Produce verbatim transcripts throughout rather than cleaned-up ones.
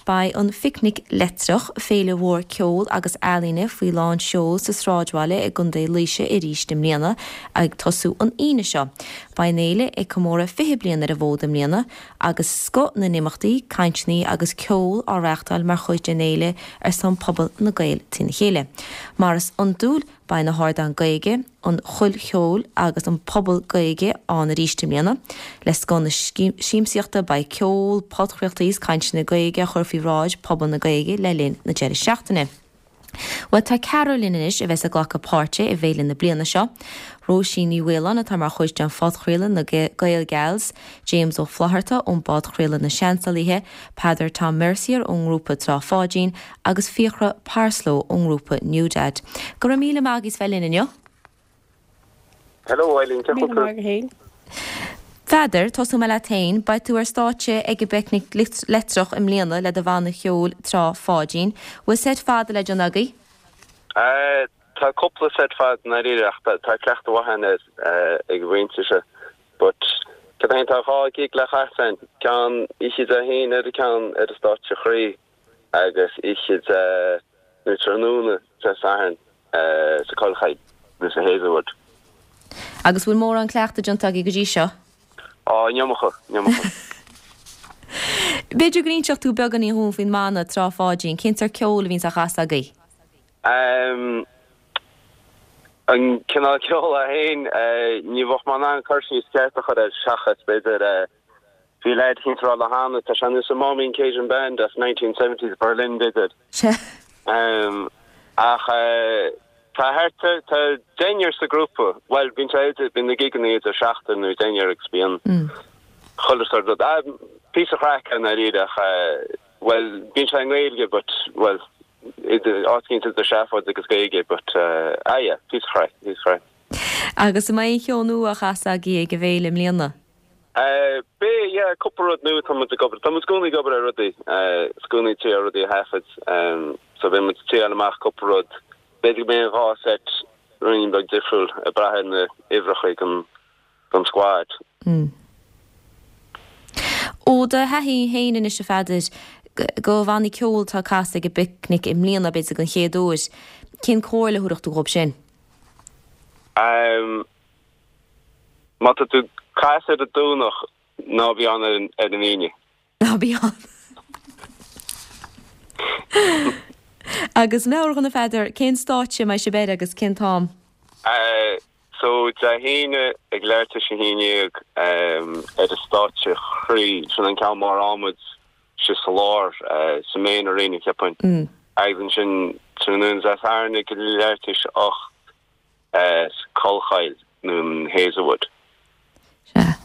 Beidh an Phicnic Leictreach, féile mhór ceoil agus ealaíne faoi lán seoil sa sráidbhaile i gContae Laoise arís i mbliana ag tosú an Aoine seo. Beidh an fhéile ag comóradh fiche bliain ar an bhfód i mbliana agus scoth na n-imeachtaí, cainteanna agus ceol á reáchtáil mar chuid den fhéile ar son pobal na Gael trína chéile. Mar is iondúil, beidh na hardáin Gaeilge, an Choill Cheoil agus an Puball Gaeilge ann arís i mbliana. Le scoth na siamsaíochta beidh ceol, podchraoltaí is cainteanna Gaeilge a chur faoi bhráid pobal na Gaeilge le linn na deireadh seachtaine. Bhuel tá ceathrar linn anois a bheas ag glacadh páirte i bhféile na bliana seo. Róisín Ní Mhaoláin atá mar chuid den phodchraoladh na Gael Gals, James Ó Flaithearta ón bpodchraoladh Na Seansálaithe, Peadar Tom Mercier ón ngrúpa Trá Pháidín agus Fiachra Parslow ón ngrúpa New Dad. Go raibh míle maith agaibh as bheith linn inniu. Hello Eileen, cén chaoi a bhfuil tú? Peadar, tosóidh mé leat féin, beidh tú ar stáitse ag an bPicnic Leictreach i mbliana le do bhanna cheoil Trá Pháidín. Bhfuil seit fada le déanamh agaibh? Tá cúpla seit fada i ndáiríre ach tá cleachtadh mhaith ann ag an mhuintir seo. But cad é tá dhá gig le casadh againn, ceann oíche Dé hAoine ar an ceann ar an stáitse chroí agus oíche Dé nó tráthnóna Dé Sathairn sa Chollchoill nó sa Hazelwood. Agus bhfuil mórán cleachtadh déanta agaibh go dtí seo? Á, an iomarca, an iomarca. B'fhéidir go n-inseodh tú beagáinín dhúinn faoin mbanna Trá Pháidín, cén sórt ceoil a bhíonns á chasadh agaibh? Um, an cineál ceoil é féin, ní bheadh mé in ann cur síos ceart a chur air seachas b'fhéidir bhí leaid eicínt ag rá liom cheana, tá sé ar nós an Maumeen Cajun Band as nineteen seventies Berlin b'fhéidir. Sea. Um, ach tá thart ar, tá deichniúr sa ghrúpa, bhuel bíonn sé idir, bíonn na gigeanna idir seachtar nó deichniúr agus bíonn chuile sórt rud. Ah, píosa craic i ndáiríre ach bhuel bíonn sé i nGaeilge but bhuel idir, áit eicínt idir seafóid agus Gaeilge but ah yeah, píosa craic, píosa craic. Agus an mbeidh aon cheol nua á chasadh agaibh ag an bhféile i mbliana? Beidh, yeah, cúpla rud nua tá muid ag obair, tá muid i gcónaí ag obair ar rudaí, is i gcónaí ag triail rudaí a thaifead, so beidh muid ag triail amach cúpla rud, b'fhéidir go mbeidh an dhá seit ruainnín beag difriúil ag brath ar na huimhreacha ag an don squad. Ó do thaithí féin anois a Pheadair, do bhannaí ceoil atá ag casadh ag an bPicnic i mbliana, b'fhéidir den chéad uair, cén comhairle a thabharfadh tú dhóibh sin? Má tá tú ag casadh ar an Domhnach, ná bí ann ar an Aoine. Ná bí ann. Agus meabhraigh dhúinn a Pheadair, cén stáitse a mbeidh sibh air agus cén t-am? So Dé hAoine ag leathuair tar éis a haon déag ar an stáitse chroí, sin an ceann mór adhmaid istigh sa lár, sa main arena cheapfainn. Agus ansin tráthnóna Dé Sathairn ag leathuair tar éis a hocht. sa Chollchoill nó an Hazelwood. Sea.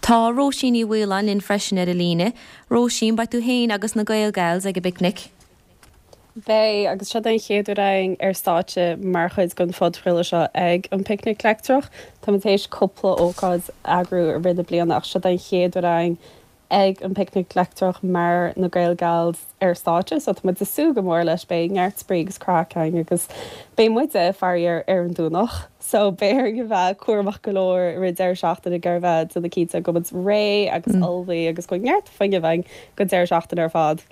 Tá Róisín Ní Mhaoláin linn freisin ar an líne. Róisín, beidh tú féin agus na Gael Gals ag an bPicnic. Beidh, agus seo den chéad uair againn ar stáitse mar chuid den phodchraoladh seo ag an Picnic Leictreach. Táimid théis cúpla ócáid a eagrú i rith na bliana ach seo den chéad uair againn ag an bPicnic Leictreach mar na Gael Gals ar stáitse so tá muid ag súil go mór leis, beidh neart spraoi agus craic againn agus beidh muide, faraor, ar an Domhnach so beidh orainn a bheith cúramach go leor i rith deireadh seachtaine ag iarraidh a bheith déanamh cinnte go bhfuil muid réidh agus ullmhaithe agus go bhfuil neart fuinnimh againn don deireadh seachtaine ar fad.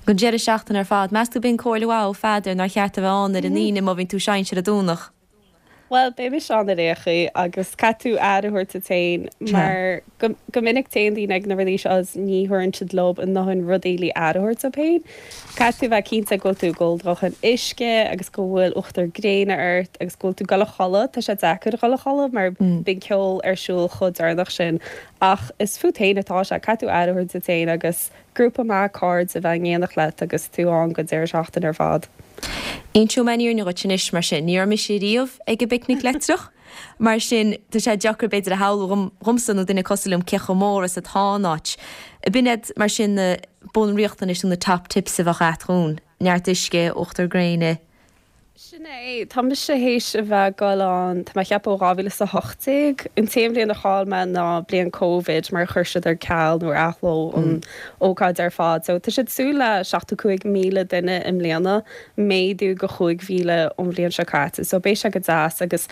Don deireadh seachtaine ar fad. Meas tú b'in comhairle mhaith ó Pheadar nár cheart a bheith ann ar an Aoine má bhíonn tú ag seinnt ar an Domhnach? Bhuel, beidh mise ann ar aon chaoi agus caithfidh tú aire a thabhairt duit féin mar go minic téann daoine ag na rudaí seo agus ní thabharann siad leo a ndóthain rudaí le aire a thabhairt dóibh féin. Caithfidh tú bheith cinnte go bhfuil tú ag ól do dhóthain uisce agus go bhfuil uachtar gréine ort agus go bhfuil tú ag dul a chodladh. Tá sé deacair a dhul a chodladh mar bíonn ceol ar siúl chomh deireanach sin ach is fút féin atá sé. Caithfidh tú aire a thabhairt duit féin agus grúpa maith cairde a bheith in éineacht leat agus tú ann don deireadh seachtaine ar fad. Inseoidh mé an fhírinne dhuit anois, mar sin. Ní raibh mise riamh ag an bPicnic Leictreach, mar sin tá sé deacair b'fhéidir a shamhlú dhomsa nó duine cosúil liom cé chomh mór is atá an áit. B'in iad, mar sin, na bunriachtanais nó na top tips a bheadh agat dhúinn, neart uisce, uachtar gréine. Sin é. Tá mise théis a bheith ag dul ann, tá mé ag ceapadh ó dhá mhíle is a hocht déag. An t-aon bhliain a chaill mé ná bliain Covid mar chuir siad ar ceal nó ar athló an ócáid ar fad. So tá siad ag súil le seachtó cúig míle duine i mbliana, méadú de chúig mhíle ón bhliain seo caite. So beidh sé go deas agus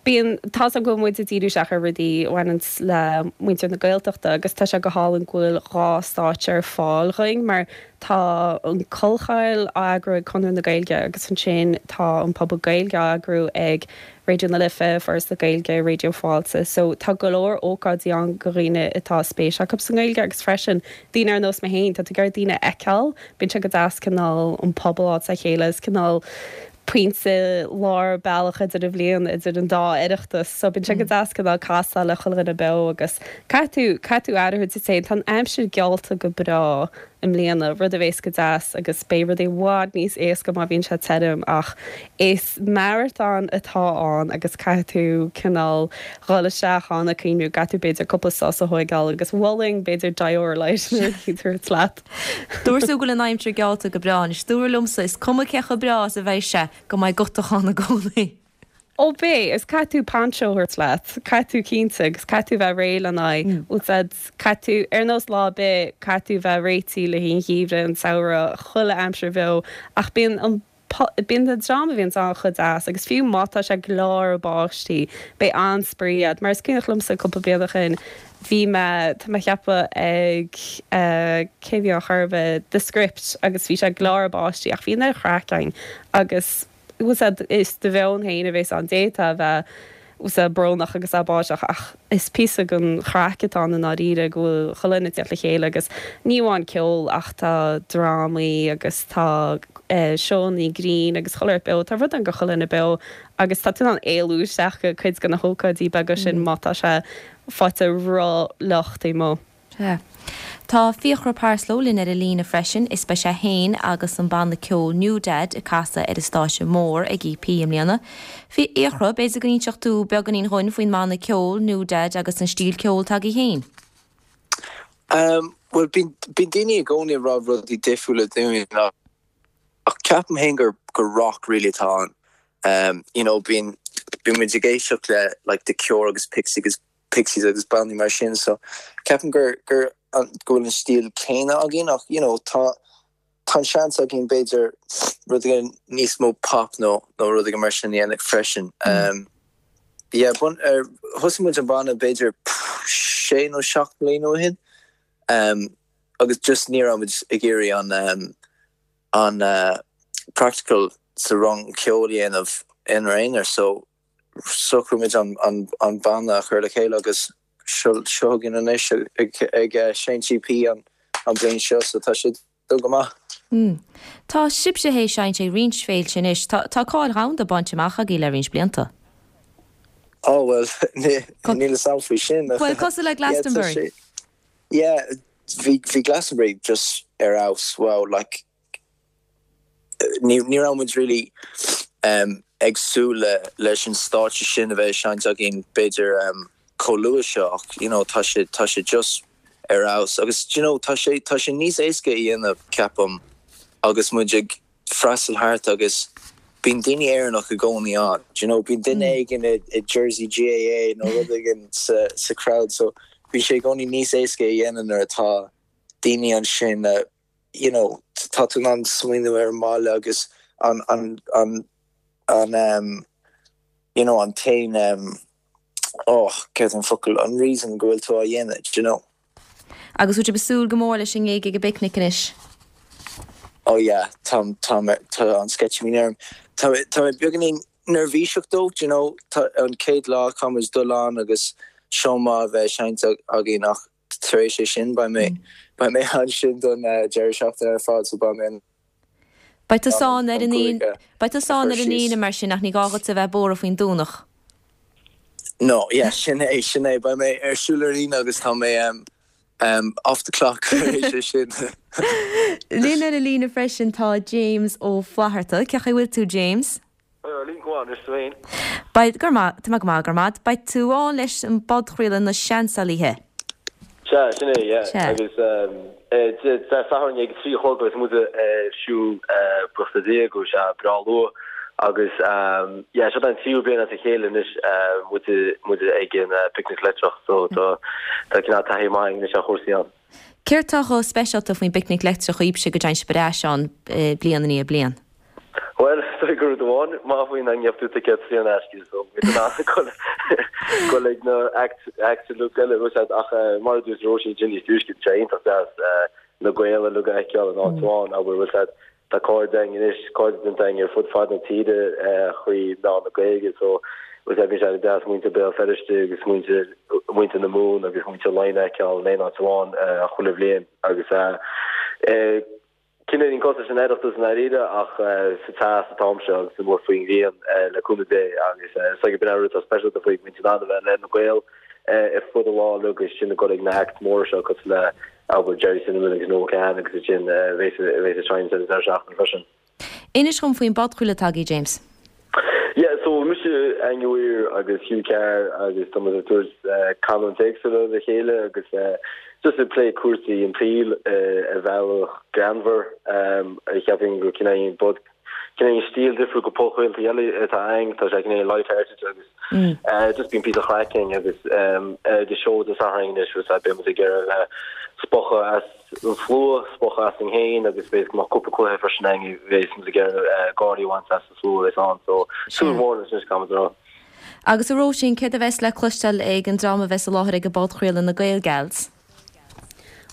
bíonn, tá's agam go bhfuil muid ag díriú isteach ar rudaí a bhaineanns le muintir na Gaeltachta agus tá sé go hálainn go bhfuil dhá stáitse ar fáil dhúinn mar Tá an Collchoill á eagrú ag Conradh na Gaeilge agus ansin tá an Puball Gaeilge á eagrú ag Raidió na Life, Foras na Gaeilge, Raidió Fáilte. So tá go leor ócáidí ann go dhaoine atá spéis acu sa nGaeilge agus freisin daoine ar nós mé féin, tá tú ag iarraidh daoine a fheiceáil, bíonn sé go deas cineál an pobal a fháil le chéile is cineál pointe lár bealach idir an bhliain idir an dá Oireachtas so bíonn sé go deas cineál casadh le chuile dhuine beo agus caithfidh tú caithfidh tú aire a thabhairt duit féin. Tá an aimsir geallta go breá i mbliana, rud a bhéas go deas agus beidh rudaí i bhfad níos éasca má bhíonn sé tirim ach is maratón atá ann agus caithfidh tú cineál dhul isteach ann ag cuimhniú go gcaithfidh tú b'fhéidir cúpla sos a thóigeáil agus mholfainn b'fhéidir Dioralyte nó rud éicint a thabhairt leat. Dúirt tú go bhfuil an aimsir geallta go breá anois. Dúradh liomsa is cuma cé chomh breá is a bheidh sé go mbeidh gutachán i gcónaí. Ó beidh, is caithfidh tú poncho a thabhairt leat, caithfidh tú cinnte agus caithfidh tú bheith réidh lena aghaidh. Bhfuil fhios a'd, caithfidh tú, ar nós lá ar bith, caithfidh tú bheith réitithe le haghaidh an gheimhridh, an samhradh, chuile aimsir bheo ach bíonn an Bíonn an dream a bhíonns ann chomh deas agus fiú má tá sé ag gleáradh báistí, beidh an-spraoi a'd. Mar is cuimhneach liomsa cúpla bliain ó shin, bhí mé, tá mé a cheapadh ag eh cé bhí ann chor ar bith, The Script agus bhí sé ag gleáradh báistí ach bhí an chraic againn agus bhfuil 's a'd is do mheon féin a bhéas ann, d'fhéadfá a bheith bhfuil 's a'd brónach agus é báisteach ach is píosa den chraic atá ann i ndáiríre go bhfuil chuile dhuine ag teacht le chéile agus ní amháin ceol ach tá drámaí agus tá seónna grinn agus chuile shórt beo, tá rud ann go chuile dhuine beo agus tá tú in ann éalú isteach go cuid de na hócáidí beaga sin má tá sé faighte ró-fhliuch taobh amuigh. Sea. Tá Fiachra Parslow linn ar an líne freisin. Is beidh sé féin agus an banna ceoil New Dad ag casadh ar an stáitse mór ag EP i mbliana. Fiachra, b'fhéidir go n-inseodh tú beagáinín dhúinn faoin mbanna ceoil New Dad agus an stíl ceoil atá agaibh féin? Bhuel, bíonn daoine i gcónaí ag rá rudaí difriúla dúinn ach ceapaim féin gur gur rock really atá ann. You know, bíonn bíonn muid ag éisteacht le like The Cure agus Pixies agus Pixies agus bannaí mar sin so ceapaim gur gur go bhfuil an stíl céanna againn ach you know tá tá an seans againn b'fhéidir rud éigin níos mó pop nó nó rud éigin mar sin a dhéanamh freisin. Um, yeah, bun, er, thosaigh muid an banna b'fhéidir sé nó seacht mbliana ó shin um, agus just ní raibh muid ag iarraidh an um, an uh, practical sa rang ceoil a dhéanamh inár n-aonar so shocraigh muid an, an, an banna a chur le chéile agus seo seo againn anois ag, ag uh, seinnt EP an, an bhliain seo so tá sé dul go maith. Mm. Tá sibhse théis seinnt ag roinnt féilte anois, tá tá cáil dhomhanda bainte amach agaibh le roinnt blianta. Oh well níl fhios a'm faoi sin. Well cosúil le Glastonbury. Yeah, bhí bhí Glastonbury just ar fheabhas wow like ní ní raibh muid really um, ag súil le leis an stáitse sin a bheith seinnte againn b'fhéidir um, chomh luath seo ach you know, tá sé tá sé just ar fheabhas agus you know, tá sé tá sé níos éasca a dhéanamh ceapaim agus muid ag freastal thart agus bíonn daoine Éireannach i gcónaí ann. You know, bíonn duine éigin i, i jersey GAA nó rud éigin sa, sa crowd so bhí sé i gcónaí níos éasca a dhéanamh nuair atá daoine ansin uh, you know, tá tú an smaoineamh ar an mbaile agus an an an an um, you know, an tain um, oh, céard an focal an reason go bhfuil tú á dhéanamh, you know. Agus bhfuil sibh ag súil go mór leis an ngig ag an bPicnic anois. Oh yeah, tá tá tá an sceitimíní orm. Tá tá mé beagáinín neirbhíseach dó, you know, tá an chéad lá caithfimid dul ann agus seó maith a bheith seinnte againn ach tar éis é sin beidh mé beidh mé ansin don uh, deireadh seachtaine ar fad so beidh mé Beidh tú sán ar an an cúig, uh, Beidh tú sán a ar chur an síos. Aoine mar sin ach ní gá duit a bheith buartha faoin Domhnach. No, yeah, sin é sin é beidh mé ar siúl ar líne agus tá mé um, um, off the clock tar éis é sin. Linn ar an líne freisin tá James Ó Flatharta, Cén chaoi bhfuil tú James? Lín go is féin. Beidh gur tá go maith go maith, beidh tú ann leis an bpodchraoladh na Seansálaithe. Se sin é yeah. Se. agus Satharn ag trí chlog agus muid siú busta dé go sé breá luath agus yeah, seo an tríú bliain as a chéile anois muid muid ag an Picnic Leictreach so tá tá cineál taithí maith anois ar chúrsaí ann. Céard atá chomh speisialta faoin bPicnic Leictreach daoibhse go dtéann sibh ar ais ann eh, bliain i ndiaidh bliain. Well so gur amháin má faoin an tú ticket sí an aisce so go ag na act act lu eile ach mar dúirt Róisín Ginny dúisce sé iontach deas na Gaeil uilig a fheiceáil in áit amháin abair bhfuil siad tá cairde againn anois cairde déanta againn ar fud fad na tíre trí mheán na Gaeilge so bhfuil sé bhí sé deas muintir Béal Feirste agus muintir muintir na Mumhan agus muintir Laighean a fheiceáil in aon áit amháin chuile bhliain agus cineál cosúil leis an Oireachtas i ndáiríre ach sa teas an t-am seo agus amuigh faoin ngrian le cúnamh Dé agus is ag b'in an rud atá speisialta faoi muid in ann a bheith le na Gaeil ar fud an lá agus sin ag dul ag na acts móra seo cosúil le abair Gerry Cinnamon agus Noel Kahn agus sin bheidh bheidh sin sa deireadh seachtaine freisin. Inis dom faoin bpodchraoladh atá agaibh James. Yeah, so mise Aine Weir agus Hugh Carr agus tá muid ag tabhairt canúint éagsúla le chéile agus just ag plé cúrsaí an tsaoil ar bhealach greannmhar a cheapaim go cineál bod cineál stíl difriúil go podchraoltaí eile atá ann tá sé cineál light-hearted agus just bíonn píosa craic ann agus de show de Satharn anois was beidh muid ag iarraidh spochadh as an slua spochadh as an féin agus beidh má cúpla cluiche freisin ann bheidh muid ag iarraidh gáirí a bhaint as an slua is ann so súil mhór leis anois caithfidh mé a rá. Agus a Róisín céard a bheas le cloisteáil ag an dream a bheas i láthair ag an bpodchraoladh na Gael Gals.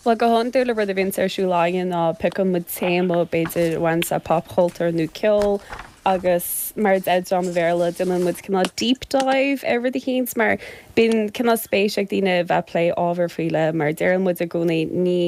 Well go hiondúil rud a bhíonn ar siúl againn ná piocann muid téama b'fhéidir a bhaineann le popchultúr nó ceol agus mar deir dream Bhéarla déanann muid cineál deep dive ar rud eicínt mar bíonn cineál spéis ag daoine bheith plé ábhar faoi leith mar deireann muid i gcónaí ní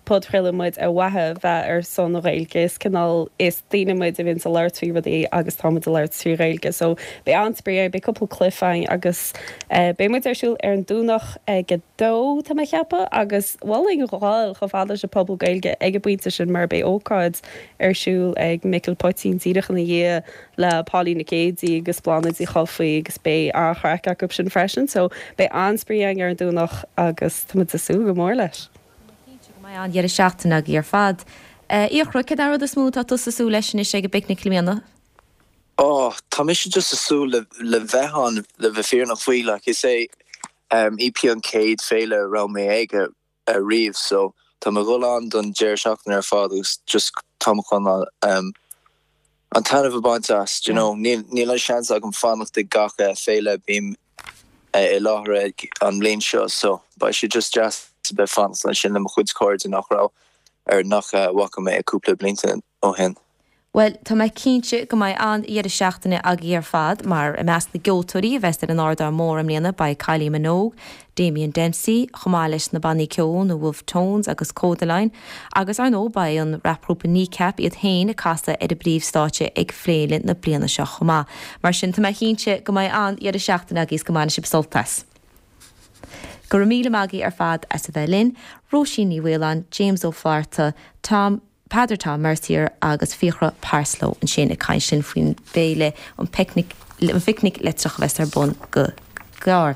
podchraoladh muid ar mhaithe bheith ar son na Gaeilge is cineál is daoine muid a bhíonn ag labhairt faoi rudaí agus táimid ag labhairt trí Ghaeilge so beidh an-spraoi beidh cúpla cluiche ann agus uh, beidh muid ar siúl ar an Domhnach ag a dó tá mé ag ceapadh agus mholfainn ghabháil chomh fada leis an phuball Gaeilge ag an bpointe sin mar beidh ócáid ar siúl ag Micil Poitín díreach ina dhiaidh le Pauline Nic Géadaigh agus Bláthnaid Uí Chofaigh agus beidh an-chraic acu sin freisin, so beidh an-spraoi ann ar an Domhnach agus tá muid ag súil go mór leis. Mbeidh an-deireadh seachtaine agaibh ar fad. Fiachra cén rud is mó atá tú ag súil leis anois ag an bpicnic i mbliana? Oh, tá mise just ag súil le le bheith ann le bheith fírinneach faoi like is é um, EP an chéad féile a raibh mé ag riamh so tá mé ag dul ann don deireadh seachtaine ar fad agus just tá chun um, an taitneamh a bhaint as you know níl níl an seans agam fanacht ag gach uh, féile bím uh, i láthair ag an mbliain seo so beidh sé just deas a bheith fanacht ansin le mo chuid cairde nach raibh ar nach uh, bhfaca mé cúpla blianta ó shin. Well tá mé cinnte go mbeidh an-deireadh seachtaine agaibh ar fad mar i measc na gceoltóirí a bheas ar an ardán mór i mbliana beidh Kylie Minogue, Damien Dempsey, chomh maith leis na bannaí ceoil na Wolf Tones agus Kodaline, agus ar ndóigh beidh an rapgrúpa Kneecap iad féin ag casadh ar an bpríomhstáitse ag féile na bliana seo chomh maith. Mar sin tá mé cinnte go mbeidh an-deireadh seachtaine agaibh go mbainfidh sibh sult as. Go raibh míle maith agaibh ar fad as a bheith linn, Róisín Ní Mhaoláin, James Ó Flatharta, Tom Peadar Tom Mercier agus Fiachra Parslow ansin ag caint linn faoin bhféile an picnic an phicnic leictreach a bheas ar bun go gearr.